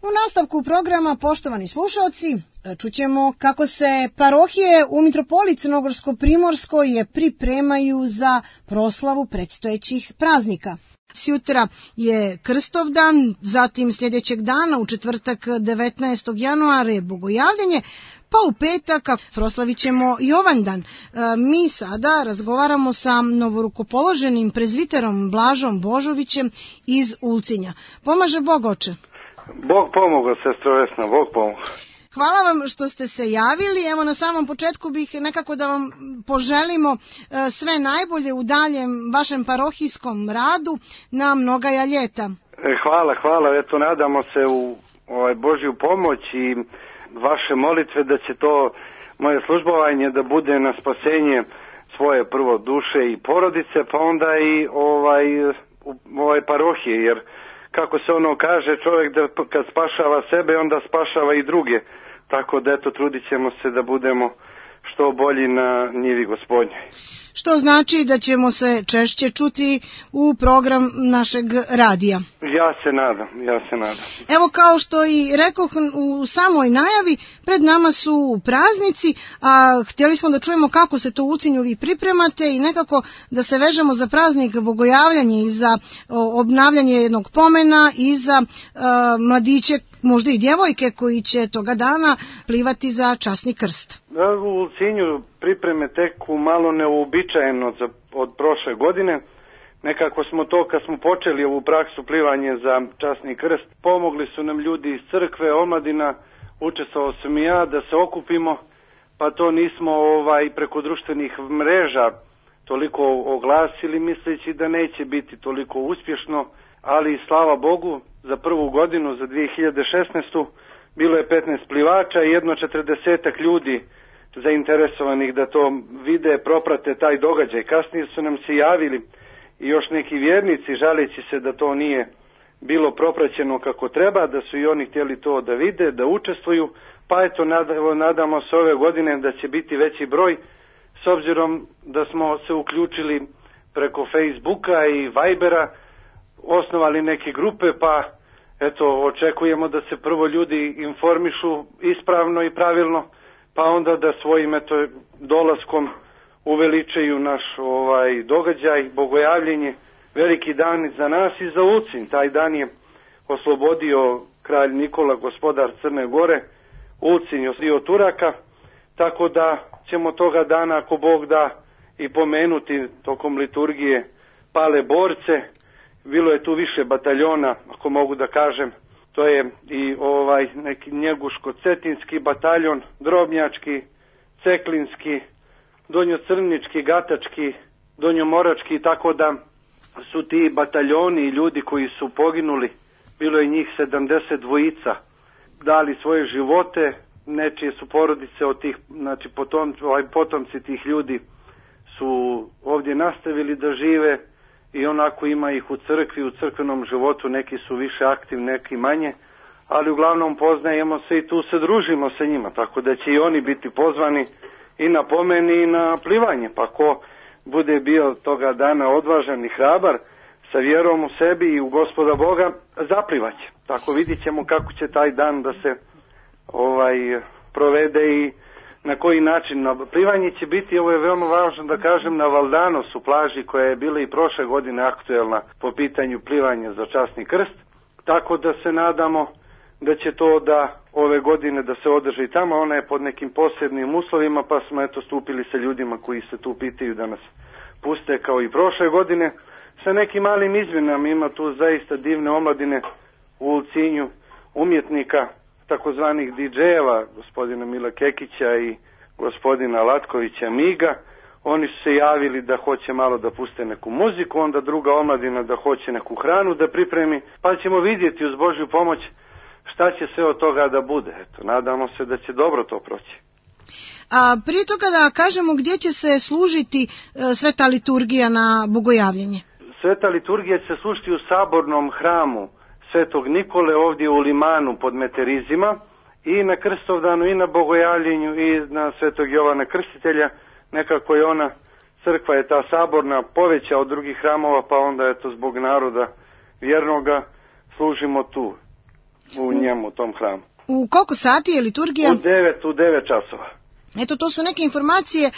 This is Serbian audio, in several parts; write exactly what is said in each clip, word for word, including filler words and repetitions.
U nastavku programa, poštovani slušalci, čućemo kako se parohije u mitropoliji Crnogorsko-Primorskoj pripremaju za proslavu predstojećih praznika. Sjutra je Krstovdan, zatim sljedećeg dana u četvrtak devetnaestog januara je Bogojavljenje, pa u petak proslavit ćemo Jovandan. Mi sada razgovaramo sa novorukopoloženim prezviterom Blažom Božovićem iz Ulcinja. Pomaže Bog, oče. Bog pomogao, sestro Vesna, Bog pomogao. Hvala vam što ste se javili. Evo, na samom početku bih nekako da vam poželimo sve najbolje u daljem vašem parohijskom radu na mnogaja ljeta. Hvala, hvala. Eto, nadamo se u ovaj Božju pomoć i vaše molitve da će to moje službovanje da bude na spasenje svoje prvo duše i porodice, pa onda i ovaj, ovaj parohije, jer kako se ono kaže, čovjek da kad spašava sebe, onda spašava i druge. Tako da eto, trudit ćemo se da budemo što bolji na njivi Gospodnjoj. Što znači da ćemo se češće čuti u program našeg radija. Ja se nadam, ja se nadam. Evo, kao što i rekoh u samoj najavi, pred nama su praznici, a htjeli smo da čujemo kako se to u Ulcinju vi pripremate i nekako da se vežemo za praznik Bogojavljanje i za obnavljanje jednog pomena i za uh, mladiće, možda i djevojke koji će toga dana plivati za časni krst. U Ulcinju pripreme teku malo neuobičajeno za, od prošle godine. Nekako smo to, kad smo počeli ovu praksu plivanje za časni krst, pomogli su nam ljudi iz crkve, omladina, učestvovao sam i ja da se okupimo, pa to nismo ovaj preko društvenih mreža toliko oglasili, misleći da neće biti toliko uspješno, ali slava Bogu, za prvu godinu, za dvije hiljade šesnaestu. bilo je petnaest plivača i jedno četrdesetak ljudi zainteresovanih da to vide, proprate taj događaj. Kasnije su nam se javili i još neki vjernici žaleći se da to nije bilo propraćeno kako treba, da su i oni htjeli to da vide, da učestvuju, pa eto nadamo se ove godine da će biti veći broj, s obzirom da smo se uključili preko Facebooka i Vibera, osnovali neke grupe, pa eto očekujemo da se prvo ljudi informišu ispravno i pravilno, pa onda da svojim eto dolaskom uveličaju naš ovaj događaj, bogojavljenje, veliki dan za nas i za Ulcinj. Taj dan je oslobodio kralj Nikola, gospodar Crne Gore, Ulcinj od Turaka, tako da ćemo toga dana, ako Bog da, i pomenuti tokom liturgije pale borce. Bilo je tu više bataljona, ako mogu da kažem. To je i ovaj neki Njeguško-Cetinski bataljon, Drobnjački, Ceklinski, Donjocrnički, Gatački, Donjomorački, tako da su ti bataljoni i ljudi koji su poginuli, bilo je njih sedamdeset dvojica, dali svoje živote, nečije su porodice od tih, znači potom, ovaj, potomci tih ljudi su ovdje nastavili da žive i onako ima ih u crkvi, u crkvenom životu, neki su više aktivni, neki manje, ali uglavnom poznajemo se i tu se družimo sa njima, tako da će i oni biti pozvani i na pomen i na plivanje, pa ko bude bio toga dana odvažan i hrabar, sa vjerom u sebi i u Gospoda Boga, zaplivaće. Tako vidit ćemo kako će taj dan da se ovaj provede i na koji način. Na plivanje će biti, ovo je veoma važno da kažem, na Valdanosu, plaži koja je bila i prošle godine aktuelna po pitanju plivanja za časni krst, tako da se nadamo da će to da ove godine da se održi tamo. Ona je pod nekim posebnim uslovima, pa smo eto stupili sa ljudima koji se tu pitaju da nas puste kao i prošle godine, sa nekim malim izmjenama. Ima tu zaista divne omladine u Ulcinju, umjetnika, takozvanih di džejeva, gospodina Mila Kekića i gospodina Latkovića Miga. Oni su se javili da hoće malo da puste neku muziku, onda druga omladina da hoće neku hranu da pripremi, pa ćemo vidjeti uz Božju pomoć šta će sve od toga da bude. Eto, nadamo se da će dobro to proći. A prije toga da kažemo gdje će se služiti e, sveta liturgija na bogojavljenje? Sveta liturgija će se služiti u sabornom hramu Svetog Nikole ovdje u Limanu pod Meterizima, i na Krstovdanu i na bogojavljenju i na Svetog Jovana Krstitelja. Nekako je ona, crkva je ta saborna, poveća od drugih hramova, pa onda eto zbog naroda vjernoga služimo tu. u njemu, u tom hramu. U koliko sati je liturgija? U devet, u devet časova. Eto, to su neke informacije, e,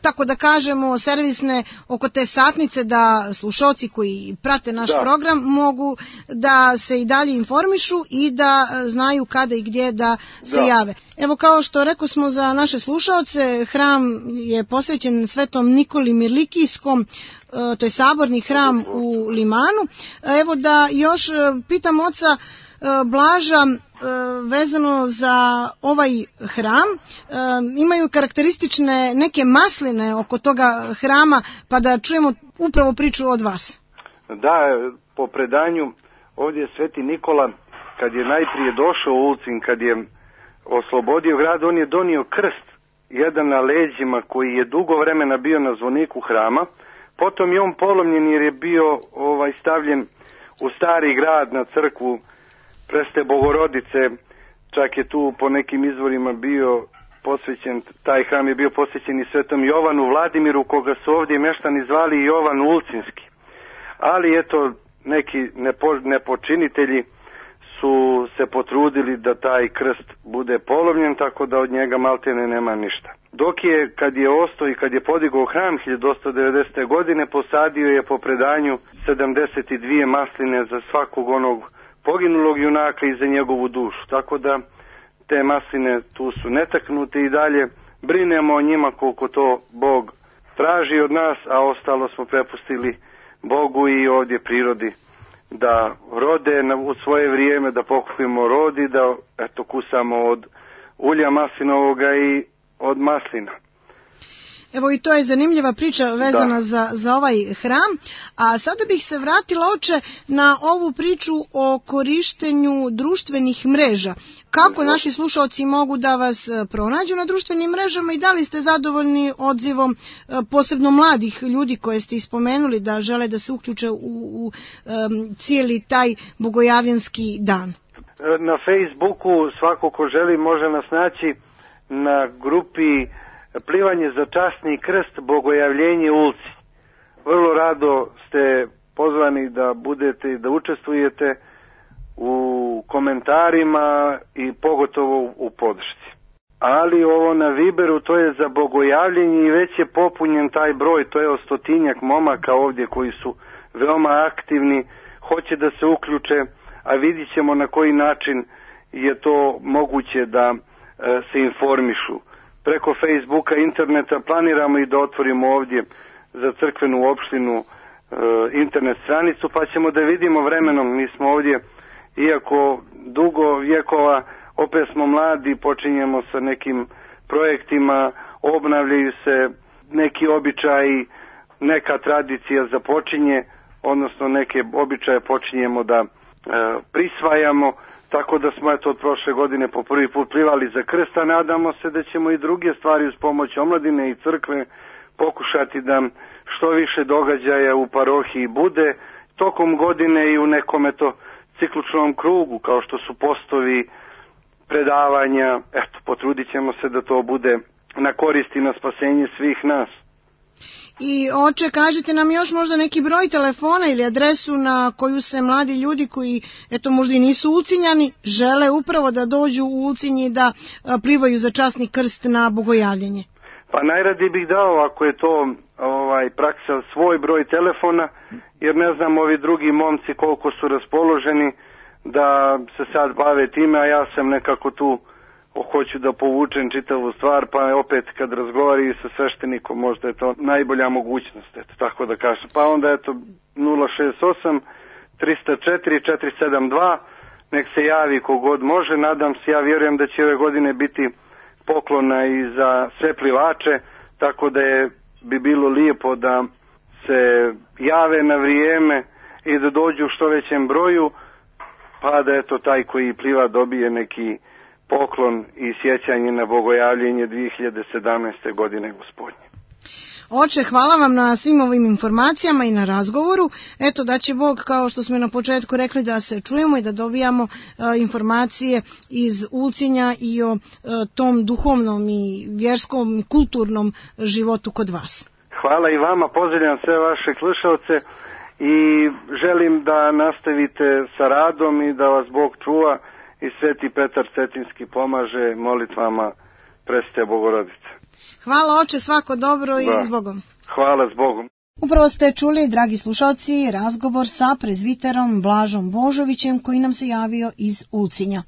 tako da kažemo, servisne oko te satnice, da slušalci koji prate naš da. program mogu da se i dalje informišu i da znaju kada i gdje da se da. jave. Evo, kao što rekao smo za naše slušalce, hram je posvećen Svetom Nikoli Mirlikijskom, e, to je saborni hram u Limanu. Evo da još pitam oca e, Blaža, vezano za ovaj hram, imaju karakteristične neke masline oko toga hrama, pa da čujemo upravo priču od vas. Da, po predanju ovdje je Sveti Nikola, kad je najprije došao u Ulcinj, kad je oslobodio grad, on je donio krst, jedan na leđima koji je dugo vremena bio na zvoniku hrama, potom je on polomljen jer je bio ovaj stavljen u stari grad na crkvu Preste Bogorodice, čak je tu po nekim izvorima bio posvećen, taj hram je bio posvećen i Svetom Jovanu Vladimiru, koga su ovdje meštani zvali Jovan Ulcinski. Ali eto, neki nepo, nepočinitelji su se potrudili da taj krst bude polomljen, tako da od njega maltene nema ništa. Dok je, kad je ostao i kad je podigao hram hiljadu osamsto devedesete. godine, posadio je po predanju sedamdeset dvije masline za svakog onog poginulog junaka i za njegovu dušu. Tako da te masline tu su netaknute i dalje brinemo o njima koliko to Bog traži od nas, a ostalo smo prepustili Bogu i ovdje prirodi da rode na, u svoje vrijeme, da pokupimo rod i da eto kusamo od ulja maslinovoga i od maslina. Evo i to je zanimljiva priča vezana za, za ovaj hram. A sada bih se vratila, oče, na ovu priču o korištenju društvenih mreža. Kako naši slušalci mogu da vas pronađu na društvenim mrežama i da li ste zadovoljni odzivom posebno mladih ljudi koje ste ispomenuli da žele da se uključe u, u um, cijeli taj bogojavljanski dan? Na Facebooku svako ko želi može nas naći na grupi Plivanje za časni krst, Bogojavljenje Ulci. Vrlo rado ste pozvani da budete i da učestvujete u komentarima i pogotovo u podršci. Ali ovo na Viberu, to je za bogojavljenje i već je popunjen taj broj, to je o stotinjak momaka ovdje koji su veoma aktivni, hoće da se uključe, a vidit ćemo na koji način je to moguće da e, se informišu. Preko Facebooka, interneta planiramo i da otvorimo ovdje za crkvenu opštinu e, internet stranicu, pa ćemo da vidimo vremenom. Mi smo ovdje, iako dugo vjekova, opet smo mladi, počinjemo sa nekim projektima, obnavljaju se neki običaji, neka tradicija započinje, odnosno neke običaje počinjemo da e, prisvajamo. Tako da smo eto od prošle godine po prvi put plivali za krst, a nadamo se da ćemo i druge stvari uz pomoć omladine i crkve pokušati da što više događaja u parohiji bude tokom godine i u nekom eto cikličnom krugu, kao što su postovi, predavanja. Eto, potrudit ćemo se da to bude na korist i na spasenje svih nas. I oče, kažete nam još možda neki broj telefona ili adresu na koju se mladi ljudi koji, eto, možda i nisu Ulcinjani, žele upravo da dođu u Ulcinj i da plivaju za časni krst na bogojavljenje. Pa najradije bih dao, ako je to ovaj praksa, svoj broj telefona, jer ne znam ovi drugi momci koliko su raspoloženi da se sad bave time, a ja sam nekako tu hoću da povučem čitavu stvar, pa opet kad razgovaraju sa sveštenikom možda je to najbolja mogućnost, eto, tako da kažem. Pa onda eto nula šest osam tri nula četiri četiri sedam dva, nek se javi kogod može, nadam se, ja vjerujem da će ove godine biti poklona i za sve plivače, tako da je bi bilo lijepo da se jave na vrijeme i da dođu u što većem broju, pa da eto taj koji pliva dobije neki poklon i sjećanje na bogojavljenje dvije hiljade sedamnaeste. godine Gospodnje. Oče, hvala vam na svim ovim informacijama i na razgovoru. Eto da će Bog, kao što smo na početku rekli, da se čujemo i da dobijamo e, informacije iz Ulcinja i o e, tom duhovnom i vjerskom i kulturnom životu kod vas. Hvala i vama, pozdravljam sve vaše slušalce i želim da nastavite sa radom i da vas Bog čuva i Sveti Petar Cetinski pomaže molitvama Presvete Bogorodice. Hvala oče, svako dobro i da. Zbogom. Hvala Zbogom. Upravo ste čuli, dragi slušalci, razgovor sa prezviterom Blažom Božovićem koji nam se javio iz Ulcinja.